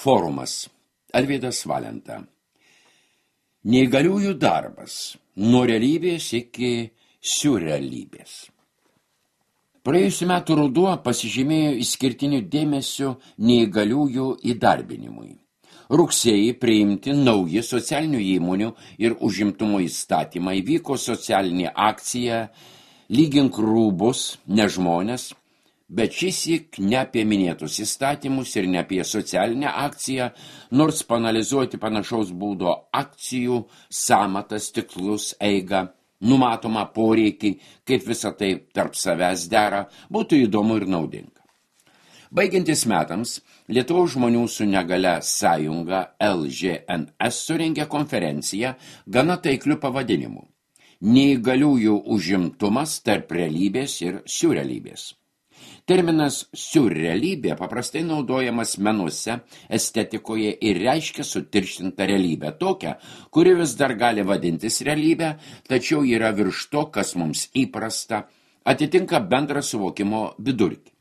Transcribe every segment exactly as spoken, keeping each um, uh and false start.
Forumas. Arvydas Valenta. Neįgaliųjų darbas. Nuo realybės iki siurrealybės. Praėjusiu metu ruduo pasižymėjo išskirtiniu dėmesiu neįgaliųjų įdarbinimui. Rugsėjį priimti nauji socialinių įmonių ir užimtumo įstatymai, vyko socialinė akcija Lygink rūbus, ne žmonės, bet šįsyk ne apie minėtus įstatymus ir ne apie socialinę akciją, nors paanalizuoti panašaus būdo akcijų, samatas, tikslus, eigą, numatomą poreikį, kaip visą tai tarp savęs dera, būtų įdomu ir naudinga. Baigiantis metams, Lietuvos žmonių su negalia sąjunga L G N S surengė konferenciją gana taikliu pavadinimu Neįgaliųjų užimtumas tarp realybės ir siurrealybės. Terminas siurrealybė paprastai naudojamas menuose, estetikoje ir reiškia sutirštintą realybę, tokią, kuri vis dar gali vadintis realybė, tačiau yra virš to, kas mums įprasta, atitinka bendrą suvokimo vidurkį.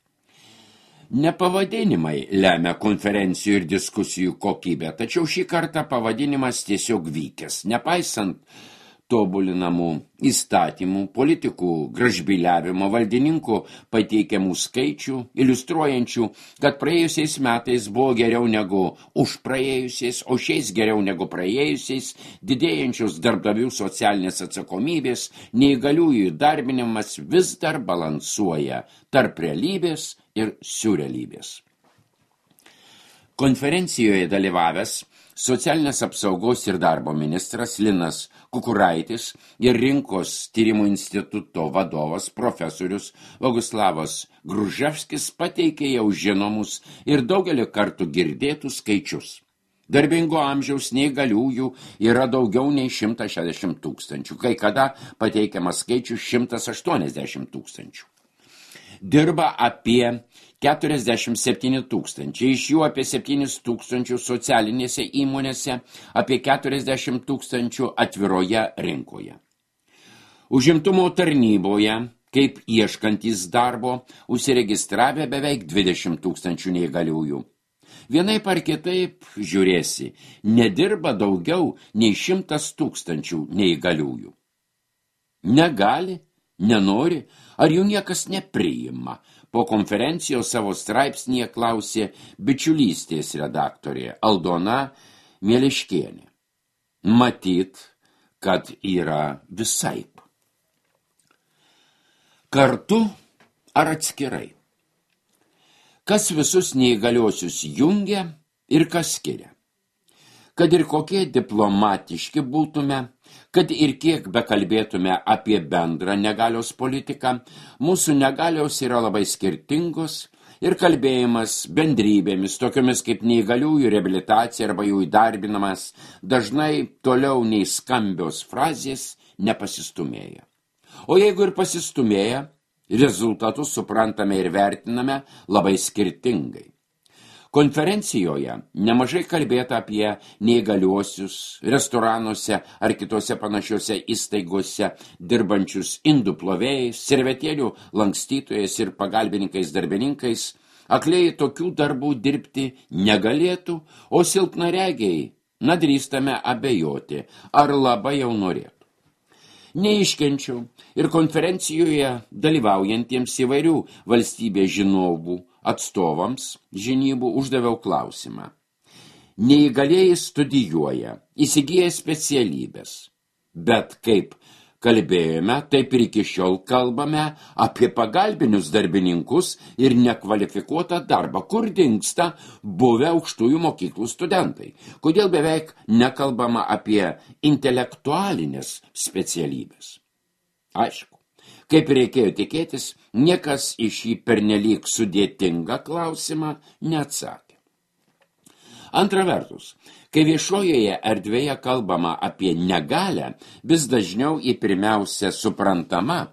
Ne pavadinimai lemia konferencijų ir diskusijų kokybę, tačiau šį kartą pavadinimas tiesiog vykęs, nepaisant tobulinamų įstatymų, politikų gražbyliavimo, valdininkų pateikiamų skaičių, iliustruojančių, kad praėjusiais metais buvo geriau negu už praėjusiais, o šiais geriau negu praėjusiais, didėjančios darbdavių socialinės atsakomybės, neįgaliųjų įdarbinimas vis dar balansuoja tarp realybės ir siurrealybės. Konferencijoje dalyvavęs Socialinės apsaugos ir darbo ministras Linas Kukuraitis ir Rinkos tyrimų instituto vadovas profesorius Boguslavas Gruževskis pateikė jau žinomus ir daugelį kartų girdėtų skaičius. Darbingo amžiaus neįgaliųjų yra daugiau nei šimtas šešiasdešimt tūkstančių, kai kada pateikiamas skaičius šimtas aštuoniasdešimt tūkstančių. Dirba apie keturiasdešimt septyni tūkstančiai, iš jų apie septynis tūkstančius socialinėse įmonėse, apie keturiasdešimt tūkstančių atviroje rinkoje. Užimtumo tarnyboje, kaip ieškantys darbo, užsiregistravę beveik dvidešimt tūkstančių neįgaliųjų. Vienaip ar kitaip, žiūrėsi, nedirba daugiau nei šimtas tūkstančių neįgaliųjų. Negali, nenori, ar jų niekas nepriima. Po konferencijos savo straipsnyje klausė bičiulystės redaktorė Aldona Mieliškienė. Matyt, kad yra visaip. Kartu ar atskirai? Kas visus neįgaliuosius jungia ir kas skiria? Kad ir kokie diplomatiški būtume, kad ir kiek bekalbėtume apie bendrą negalios politiką, mūsų negalios yra labai skirtingos ir kalbėjimas bendrybėmis, tokiomis kaip neįgaliųjų reabilitacija arba jų įdarbinamas, dažnai toliau nei skambios frazės nepasistumėja. O jeigu ir pasistumėja, rezultatus suprantame ir vertiname labai skirtingai. Konferencijoje nemažai kalbėta apie neįgaliuosius restoranuose ar kitose panašiose įstaigose dirbančius indų plovėjais, servetėlių lankstytojais ir pagalbininkais darbininkais. Akliai tokių darbų dirbti negalėtų, o silpnaregiai, na drįstame abejoti, ar labai jau norėtų. Neiškenčiau ir konferencijoje dalyvaujantiems įvairių valstybės žinovų atstovams žinybų uždaviau klausimą. Neįgalieji studijuoja, įsigyja specialybės, bet kaip kalbėjome, taip ir iki šiol kalbame apie pagalbinius darbininkus ir nekvalifikuotą darbą, kur dingsta buvę aukštųjų mokyklų studentai. Kodėl beveik nekalbama apie intelektualinės specialybės? Aišku. Kaip reikėjo tikėtis, niekas į šį pernelyg sudėtingą klausimą neatsakė. Antra vertus, kai viešojoje erdvėje kalbama apie negalią, vis dažniau į pirmiausia suprantama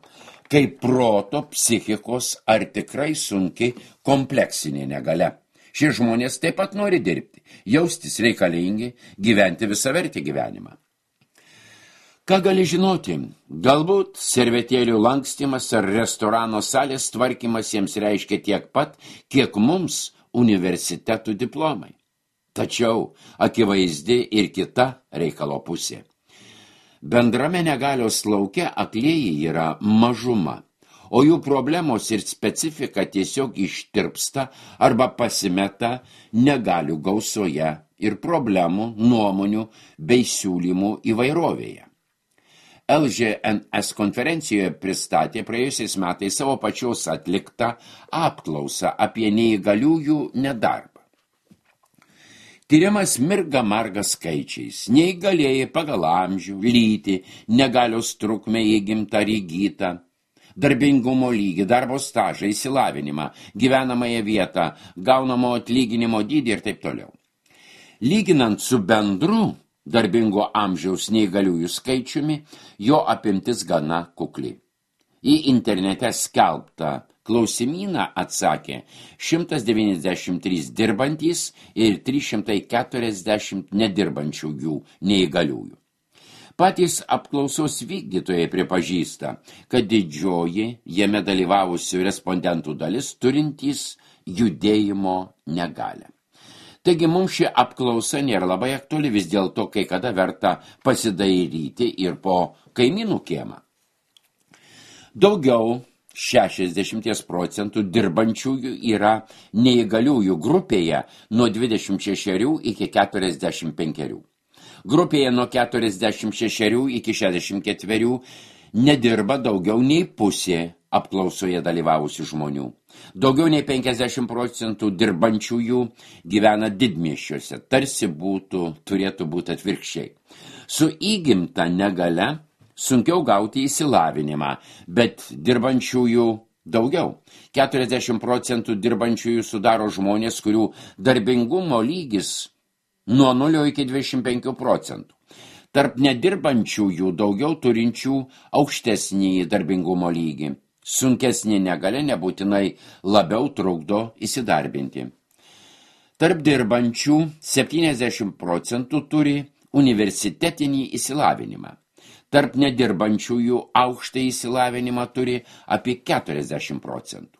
kaip proto, psichikos ar tikrai sunkiai kompleksinė negalia. Šie žmonės taip pat nori dirbti, jaustis reikalingi, gyventi visavertį gyvenimą. Ką gali žinoti? Galbūt servetėlių lankstymas ar restorano salės tvarkymas jiems reiškia tiek pat, kiek mums universitetų diplomai. Tačiau akivaizdi ir kita reikalo pusė. Bendrame negalios lauke aklieji yra mažuma, o jų problemos ir specifika tiesiog ištirpsta arba pasimeta negalių gausoje ir problemų, nuomonių bei siūlymų įvairovėje. L G N S konferencijoje pristatė praėjusiais metais savo pačios atliktą apklausą apie neįgaliųjų nedarbą. Tyrimas mirga marga skaičiais, neįgalieji pagal amžių, lytį, negalios trukmę įgimtą ar įgytą, darbingumo lygį, darbo stažą, išsilavinimą, gyvenamąją vietą, gaunamo atlyginimo dydį ir taip toliau. Lyginant su bendru darbingo amžiaus neįgaliųjų skaičiumi, jo apimtis gana kukli. Į internete skelbtą klausimyną atsakė šimtas devyniasdešimt trys dirbantys ir trys šimtai keturiasdešimt nedirbančiųjų neįgaliųjų. Patys apklausos vykdytojai pripažįsta, kad didžioji jame dalyvavusių respondentų dalis turintys judėjimo negalią. Taigi mums ši apklausa nėra labai aktuali, vis dėlto kai kada verta pasidairyti ir po kaimynų kiemą. Daugiau šešiasdešimt procentų dirbančiųjų yra neįgaliųjų grupėje nuo dvidešimt šešerių iki keturiasdešimt penkerių. Grupėje nuo keturiasdešimt šešerių iki šešiasdešimt ketverių nedirba daugiau nei pusė apklausoje dalyvavusių žmonių. Daugiau nei penkiasdešimt procentų dirbančiųjų gyvena didmiesčiuose, tarsi būtų, turėtų būti atvirkščiai. Su įgimta negalia sunkiau gauti išsilavinimą, bet dirbančiųjų daugiau. keturiasdešimt procentų dirbančiųjų sudaro žmonės, kurių darbingumo lygis nuo nulio iki dvidešimt penkių procentų. Tarp nedirbančiųjų daugiau turinčių aukštesnį darbingumo lygį. Sunkesnė negalia nebūtinai labiau trukdo įsidarbinti. Tarp dirbančių septyniasdešimt procentų turi universitetinį išsilavinimą. Tarp nedirbančiųjų aukštą išsilavinimą turi apie keturiasdešimt procentų.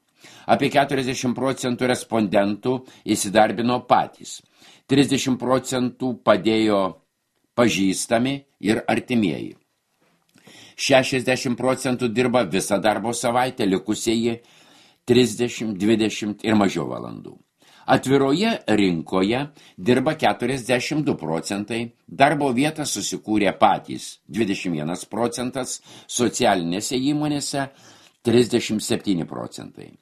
Apie keturiasdešimt procentų respondentų įsidarbino patys. trisdešimt procentų padėjo pažįstami ir artimieji. šešiasdešimt procentų dirba visą darbo savaitę, likusieji trisdešimt, dvidešimt ir mažiau valandų. Atviroje rinkoje dirba keturiasdešimt du procentai, darbo vietą susikūrė patys dvidešimt vienas procentas, socialinėse įmonėse trisdešimt septyni procentai.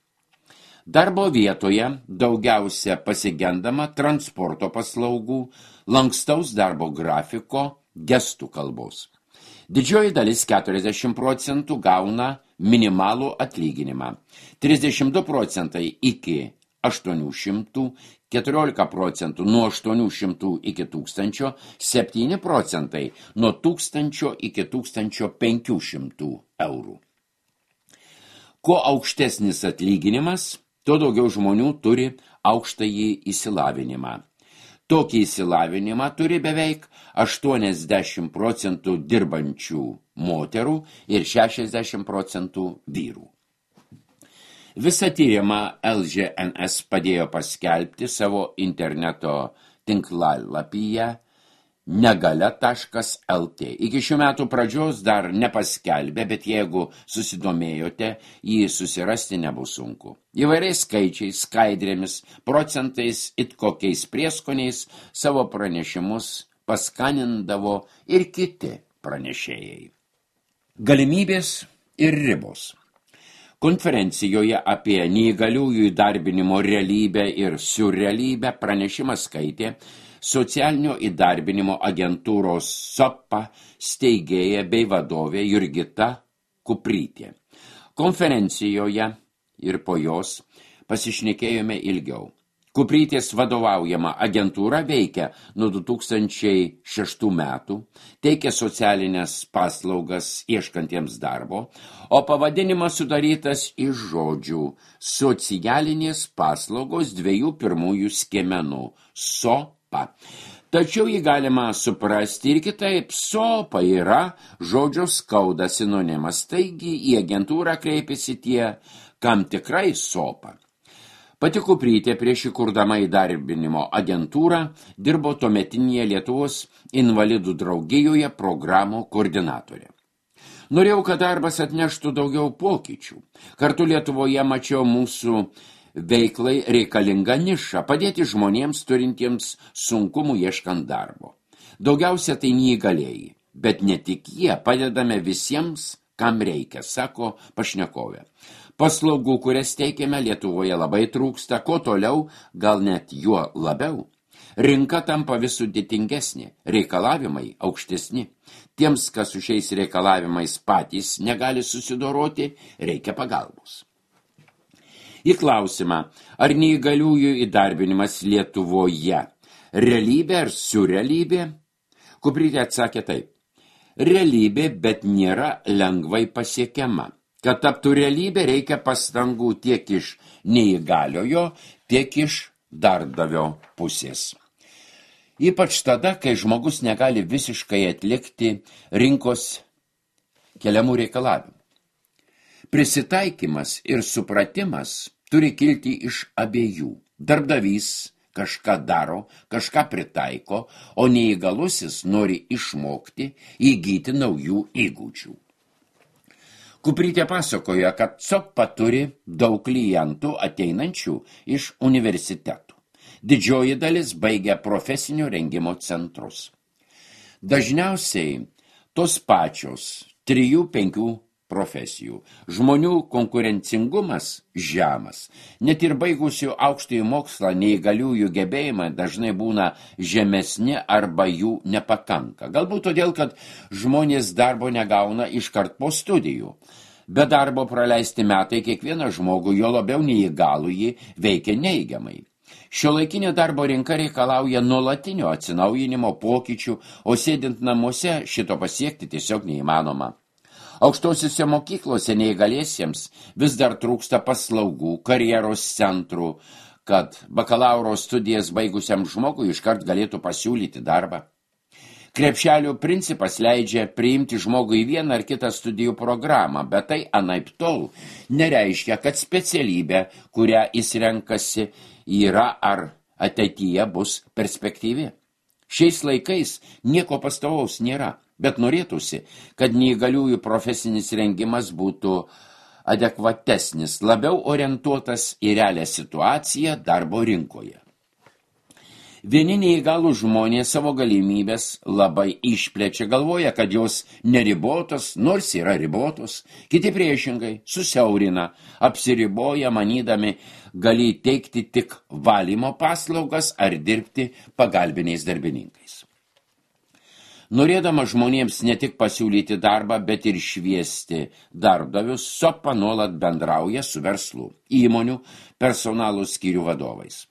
Darbo vietoje daugiausia pasigendama transporto paslaugų, lankstaus darbo grafiko, gestų kalbos. Didžioji dalis keturiasdešimt procentų gauna minimalų atlyginimą, trisdešimt du procentai iki aštuonių šimtų, keturiolika procentų nuo aštuonių šimtų iki tūkstančio, septyni procentai nuo tūkstančio iki tūkstančio penkių šimtų eurų. Kuo aukštesnis atlyginimas, tuo daugiau žmonių turi aukštąjį išsilavinimą. Tokį išsilavinimą turi beveik aštuoniasdešimt procentų dirbančių moterų ir šešiasdešimt procentų vyrų. Visą tyrimą L G N S padėjo paskelbti savo interneto tinklalapyje negalia taškas L T. Iki šių metų pradžios dar nepaskelbė, bet jeigu susidomėjote, jį susirasti nebus sunku. Įvairiais skaičiais, skaidrėmis, procentais, it kokiais prieskoniais savo pranešimus paskanindavo ir kiti pranešėjai. Galimybės ir ribos. Konferencijoje apie neįgaliųjų įdarbinimo realybę ir siurrealybę pranešimą skaitė socialinio įdarbinimo agentūros S O P A steigėja bei vadovė Jurgita Kuprytė. Konferencijoje ir po jos pasišnekėjome ilgiau. Kuprytės vadovaujama agentūra veikia nuo du tūkstančiai šeštų metų, teikia socialinės paslaugas ieškantiems darbo, o pavadinimas sudarytas iš žodžių socialinės paslaugos dviejų pirmųjų skiemenų S O P A. Tačiau jį galima suprasti ir kitaip. S O P A yra žodžio skauda sinonimas, taigi į agentūrą kreipiasi tie, kam tikrai S O P A. Pati Kuprytė prieš įkurdama įdarbinimo agentūrą dirbo tuometinėje Lietuvos invalidų draugijoje programų koordinatorė. Norėjau, kad darbas atneštų daugiau pokyčių. Kartu Lietuvoje mačiau mūsų veiklai reikalingą nišą, padėti žmonėms turintiems sunkumų ieškant darbo. Daugiausia tai neįgalėjai, bet ne tik jie, padedame visiems, kam reikia, sako pašnekovė. Paslaugų, kurias teikiame Lietuvoje labai trūksta, ko toliau, gal net juo labiau. Rinka tampa vis sudėtingesnė, reikalavimai aukštesni. Tiems, kas su šiais reikalavimais patys negali susidoroti, reikia pagalbos. Į klausimą, ar neįgaliųjų įdarbinimas Lietuvoje realybė ar surrealybė, Kuprytė atsakė taip. Realybė, bet nėra lengvai pasiekiama. Kad taptų realybė, reikia pastangų tiek iš neįgaliojo, tiek iš darbdavio pusės. Ypač tada, kai žmogus negali visiškai atlikti rinkos keliamų reikalavimų. Prisitaikymas ir supratimas turi kilti iš abiejų. Darbdavys kažką daro, kažką pritaiko, o neįgalusis nori išmokti, įgyti naujų įgūdžių. Kuprytė pasakoja, kad Copa turi daug klientų ateinančių iš universitetų. Didžioji dalis baigia profesinio rengimo centrus. Dažniausiai tos pačios trijų penkių profesijų. Žmonių konkurencingumas žemas. Net ir baigusių aukštąjį mokslą neįgaliųjų gebėjimai dažnai būna žemesni arba jų nepakanka. Galbūt todėl, kad žmonės darbo negauna iškart po studijų. Be darbo praleisti metai kiekvieną žmogų, jo labiau neįgalųjį, veikia neigiamai. Šiuolaikinė darbo rinka reikalauja nuolatinio atsinaujinimo pokyčių, o sėdint namuose šito pasiekti tiesiog neįmanoma. Aukštosiuose mokyklose neįgaliesiems vis dar trūksta paslaugų, karjeros centrų, kad bakalauro studijas baigusiam žmogui iškart galėtų pasiūlyti darbą. Krepšelio principas leidžia priimti žmogų į vieną ar kitą studijų programą, bet tai anaiptol nereiškia, kad specialybė, kurią jis renkasi, yra ar ateityje bus perspektyvi. Šiais laikais nieko pastovaus nėra, bet norėtųsi, kad neįgaliųjų profesinis rengimas būtų adekvatesnis, labiau orientuotas į realią situaciją darbo rinkoje. Vieni neįgalų žmonės savo galimybės labai išplečia, galvoja, kad jos neribotos, nors yra ribotos, kiti priešingai susiaurina, apsiriboja, manydami gali teikti tik valymo paslaugas ar dirbti pagalbiniais darbininkais. Norėdama žmonėms ne tik pasiūlyti darbą, bet ir šviesti darbdavius, Sopa nuolat bendrauja su verslu, įmonių, personalų skyrių vadovais.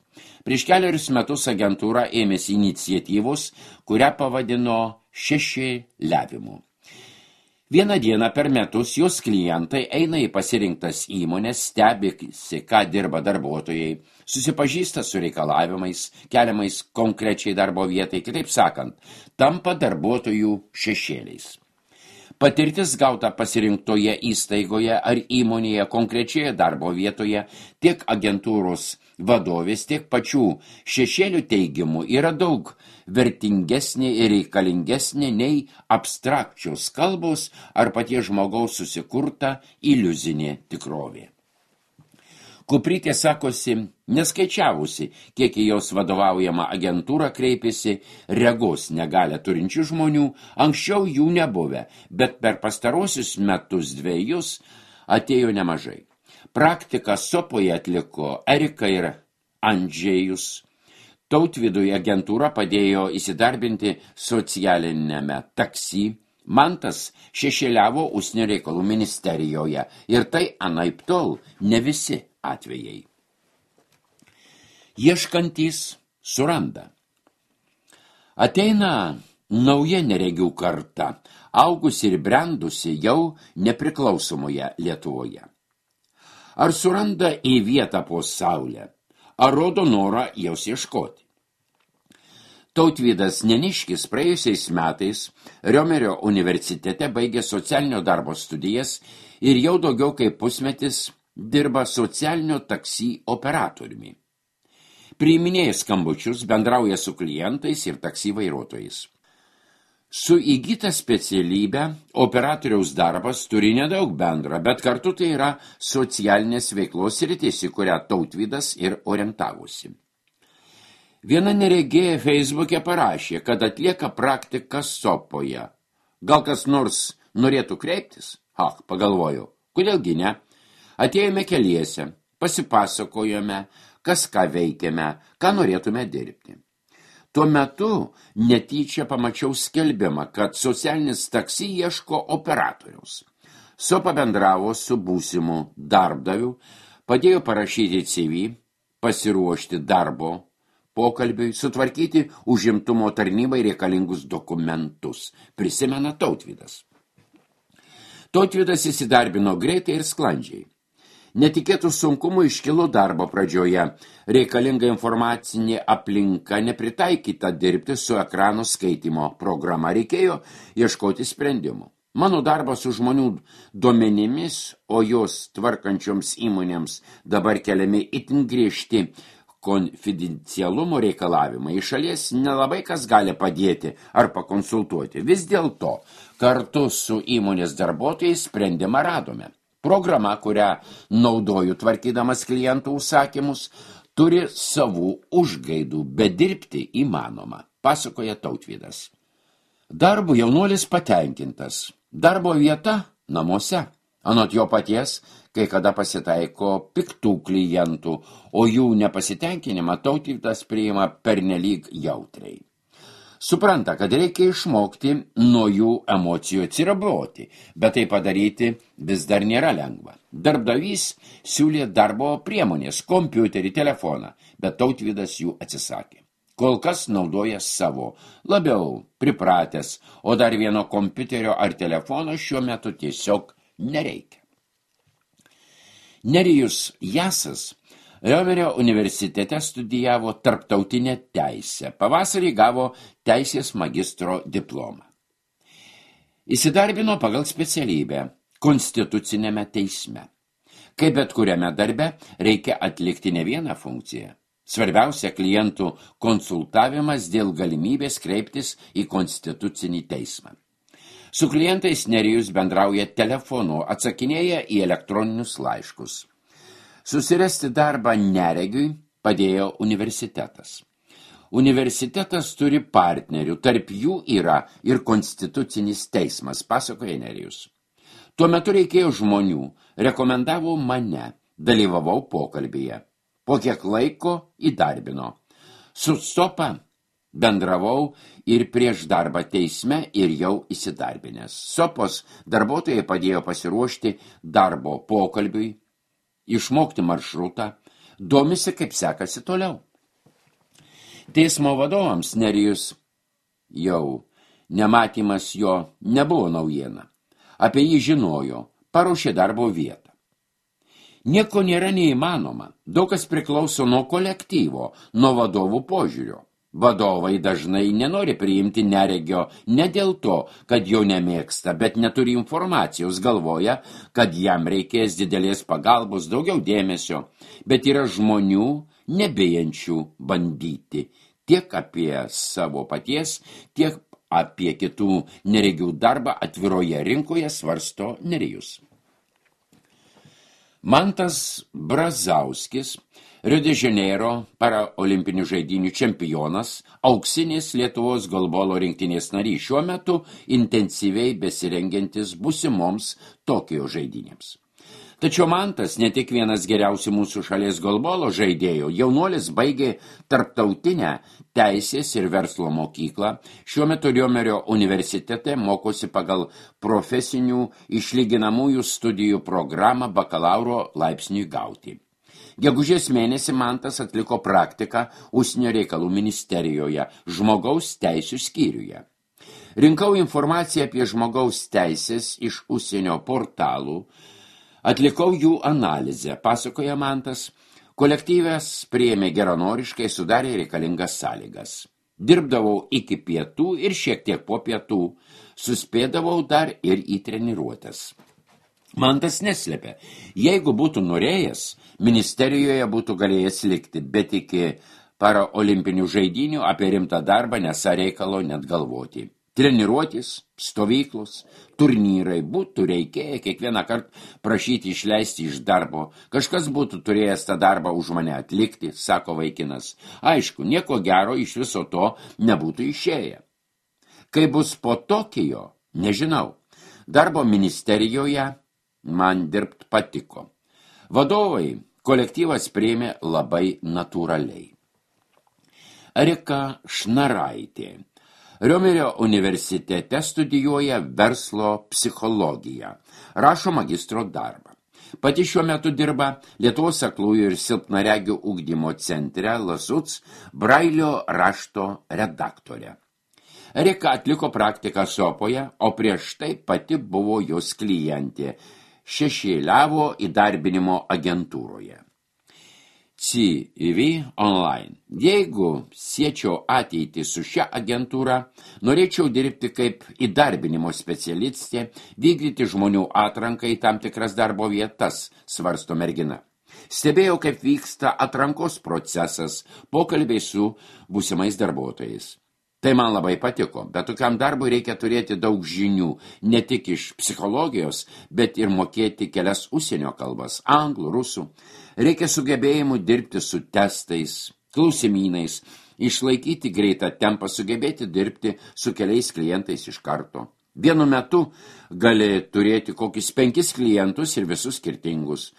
Prieš keliarius metus agentūra ėmėsi iniciatyvos, kurią pavadino šešėliavimu. Vieną dieną per metus jos klientai eina į pasirinktas įmonės, stebisi, ką dirba darbuotojai, susipažįsta su reikalavimais, keliamais konkrečiai darbo vietai, kitaip sakant, tampa darbuotojų šešėliais. Patirtis gauta pasirinktoje įstaigoje ar įmonėje konkrečioje darbo vietoje tiek agentūros vadovės, tiek pačių šešėlių teigimų yra daug vertingesnė ir reikalingesnė nei abstrakčios kalbos ar paties žmogaus susikurta iliuzinė tikrovė. Kuprytė sakosi, neskaičiavusi, kiek į jos vadovaujama agentūra kreipėsi regos negalią turinčių žmonių, anksčiau jų nebuvę, bet per pastarosius metus dvejus atėjo nemažai. Praktiką Sopoje atliko Erika ir Andžėjus. Tautvydui agentūra padėjo įsidarbinti socialinėme taksi. Mantas šešėliavo užsienio reikalų ministerijoje ir tai anaiptol ne visi atvejai. Ieškantys suranda. Ateina nauja neregių karta, augusi ir brendusi jau nepriklausomoje Lietuvoje. Ar suranda į vietą po saulę, ar rodo norą jos ieškoti? Tautvydas Neniškis praėjusiais metais Riomerio universitete baigė socialinio darbo studijas ir jau daugiau kaip pusmetis dirba socialinio taksi operatoriumi. Priiminėja skambučius, bendrauja su klientais ir taksi vairuotojais. Su įgyta specialybė operatoriaus darbas turi nedaug bendra, bet kartu tai yra socialinės veiklos sritis, į kurią Tautvydas ir orientavosi. Viena neregėja Feisbuke parašė, kad atlieka praktiką Sopoje. Gal kas nors norėtų kreiptis? Ach, pagalvojau, kodėlgi ne? Atėjome keliese, pasipasakojome, kas ką veikiame, ką norėtume dirbti. Tuo metu netyčia pamačiau skelbimą, kad socialinis taksi ieško operatoriaus. Sopa bendravo su būsimu darbdaviu, padėjo parašyti C V, pasiruošti darbo pokalbiui, sutvarkyti užimtumo tarnybai reikalingus dokumentus, prisimena Tautvydas. Tautvydas įsidarbino greitai ir sklandžiai. Netikėtų sunkumų iškilo darbo pradžioje. Reikalinga informacinė aplinka nepritaikyta dirbti su ekrano skaitimo programa. Reikėjo ieškoti sprendimų. Mano darbas su žmonių duomenimis, o jos tvarkančioms įmonėms dabar keliami itin griežti konfidencialumo reikalavimai. Iš šalies nelabai kas gali padėti ar pakonsultuoti. Vis dėlto, kartu su įmonės darbuotojais sprendimą radome. Programa, kurią naudoju tvarkydamas klientų užsakymus, turi savų užgaidų, bet dirbti įmanoma, pasakoja Tautvydas. Darbu jaunuolis patenkintas. Darbo vieta namuose. Anot jo paties, kai kada pasitaiko piktų klientų, o jų nepasitenkinimą Tautvydas priima pernelyg jautriai. Supranta, kad reikia išmokti nuo jų emocijų atsiriboti, bet tai padaryti vis dar nėra lengva. Darbdavys siūlė darbo priemonės, kompiuterį, telefoną, bet Tautvydas jų atsisakė. Kol kas naudoja savo, labiau pripratęs, o dar vieno kompiuterio ar telefono šiuo metu tiesiog nereikia. Nerijus Jasas Riomerio universitete studijavo tarptautinę teisę. Pavasarį gavo teisės magistro diplomą. Įsidarbino pagal specialybę konstitucinėme teisme. Kaip bet kuriame darbe reikia atlikti ne vieną funkciją. Svarbiausia klientų konsultavimas dėl galimybės kreiptis į konstitucinį teismą. Su klientais Nerijus bendrauja telefonu, atsakinėja į elektroninius laiškus. Susirasti darbą neregiui padėjo universitetas. Universitetas turi partnerių, tarp jų yra ir konstitucinis teismas, pasakoja Nerijus. Tuo metu reikėjo žmonių, rekomendavo mane, dalyvavau pokalbyje. Po kiek laiko įdarbino. Su Sopa bendravau ir prieš darbą teisme ir jau įsidarbinęs. Sopos darbuotojai padėjo pasiruošti darbo pokalbiui, išmokti maršrutą, domisi, kaip sekasi toliau. Teismo vadovams Nerijus jau nematymas jo nebuvo naujiena. Apie jį žinojo, paruošė darbo vietą. Nieko nėra neįmanoma, daug kas priklauso nuo kolektyvo, nuo vadovų požiūrio. Vadovai dažnai nenori priimti neregio ne dėl to, kad jo nemėgsta, bet neturi informacijos, galvoja, kad jam reikės didelės pagalbos, daugiau dėmesio, bet yra žmonių nebijančių bandyti tiek apie savo paties, tiek apie kitų neregių darbą atviroje rinkoje, svarsto Nerijus. Mantas Brazauskis, Rio de Janeiro paraolimpinių žaidynių čempionas, auksinės Lietuvos golbolo rinktinės narys, šiuo metu intensyviai besirengiantis būsimoms Tokijo žaidynėms. Tačiau Mantas ne tik vienas geriausių mūsų šalies golbolo žaidėjų, jaunuolis baigė tarptautinę teisės ir verslo mokyklą, šiuo metu Riomerio universitete mokosi pagal profesinių išlyginamųjų studijų programą bakalauro laipsniui gauti. Gegužės mėnesį Mantas atliko praktiką Užsienio reikalų ministerijoje, žmogaus teisių skyriuje. Rinkau informaciją apie žmogaus teisės iš užsienio portalų, atlikau jų analizę, pasakoja Mantas, kolektyvas priėmė geranoriškai, sudarė reikalingas sąlygas. Dirbdavau iki pietų ir šiek tiek po pietų, suspėdavau dar ir į treniruotes. Mantas neslėpė, jeigu būtų norėjęs, ministerijoje būtų galėjęs likti, bet iki paraolimpinių žaidynių apie rimtą darbą nesą reikalo net galvoti. Treniruotis, stovyklos, turnyrai būtų reikėję kiekvieną kartą prašyti išleisti iš darbo. Kažkas būtų turėjęs tą darbą už mane atlikti, sako vaikinas. Aišku, nieko gero iš viso to nebūtų išėję. Kai bus po Tokijo, nežinau. Darbo ministerijoje man dirbt patiko. Vadovai kolektyvas priėmė labai natūraliai. Erika Šnaraitė Riomerio universitete studijuoja verslo psichologiją, rašo magistro darbą. Pati šiuo metu dirba Lietuvos aklųjų ir silpnaregių ugdymo centre Lasuc Brailio rašto redaktorė. Erika atliko praktiką Sopoje, o prieš tai pati buvo jos klientė, šešėliavo įdarbinimo agentūroje. C V Online. Jeigu siečiau ateitį su šia agentūra, norėčiau dirbti kaip įdarbinimo specialistė, vykdyti žmonių atranką į tam tikras darbo vietas, svarsto mergina. Stebėjau, kaip vyksta atrankos procesas, pokalbiai su būsimais darbuotojais. Tai man labai patiko, bet tokiam darbui reikia turėti daug žinių, ne tik iš psichologijos, bet ir mokėti kelias užsienio kalbas, anglų, rusų. Reikia sugebėjimų dirbti su testais, klausimynais, išlaikyti greitą tempą, sugebėti dirbti su keliais klientais iš karto. Vienu metu gali turėti kokius penkis klientus ir visus skirtingus,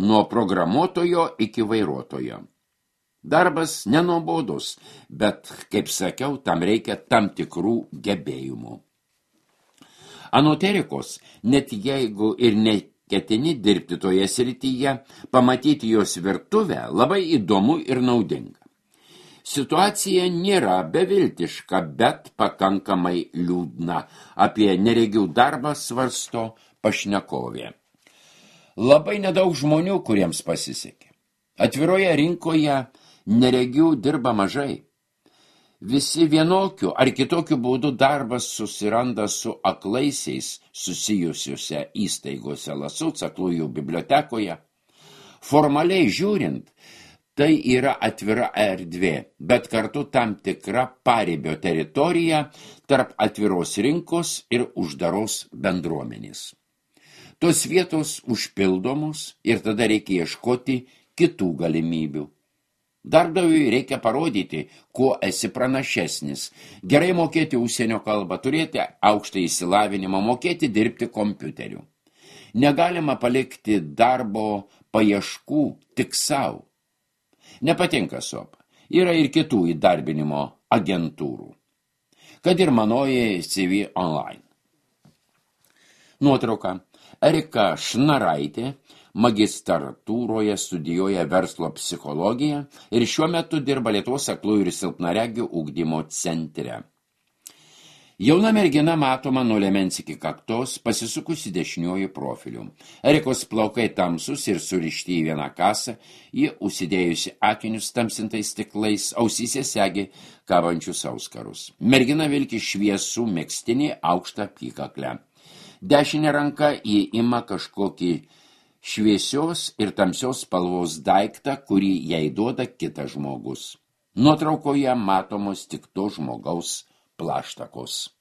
nuo programuotojo iki vairuotojo. Darbas nenuobodus, bet, kaip sakiau, tam reikia tam tikrų gebėjimų. Anot Erikos, net jeigu ir neketini dirbti toje srityje, pamatyti jos virtuvę labai įdomu ir naudinga. Situacija nėra beviltiška, bet pakankamai liūdna. Apie neregių darbą svarsto pašnekovė. Labai nedaug žmonių, kuriems pasisekė. Atviroje rinkoje neregių dirba mažai. Visi vienokiu ar kitokiu būdu darbas susiranda su aklaisiais susijusiuose įstaigose Lasuc aklųjų bibliotekoje. Formaliai žiūrint, tai yra atvira erdvė, bet kartu tam tikra paribio teritorija tarp atviros rinkos ir uždaros bendruomenės. Tos vietos užpildomos ir tada reikia ieškoti kitų galimybių. Darbdaviui reikia parodyti, kuo esi pranašesnis, gerai mokėti užsienio kalbą, turėti aukštą išsilavinimą, mokėti dirbti kompiuteriu. Negalima palikti darbo paieškų tik savo. Nepatinka Sopa. Yra ir kitų įdarbinimo agentūrų. Kad ir manoji C V Online. Nuotrauka. Erika Šnaraitė magistratūroje studijuoja verslo psichologiją ir šiuo metu dirba Lietuvos aklųjų ir silpnaregių ugdymo centre. Jauna mergina matoma nuo liemens iki kaktos, pasisukusi dešiniuoju profiliu. Erikos plaukai tamsus ir surišti į vieną kasą, ji užsidėjusi akinius tamsintais stiklais, ausyse segi kabančius auskarus. Mergina vilki šviesų megztinį aukštą apykaklę. Dešinė ranka ji ima kažkokį šviesios ir tamsios spalvos daiktą, kurį jai duoda kitas žmogus. Nuotraukoje matomos tik to žmogaus plaštakos.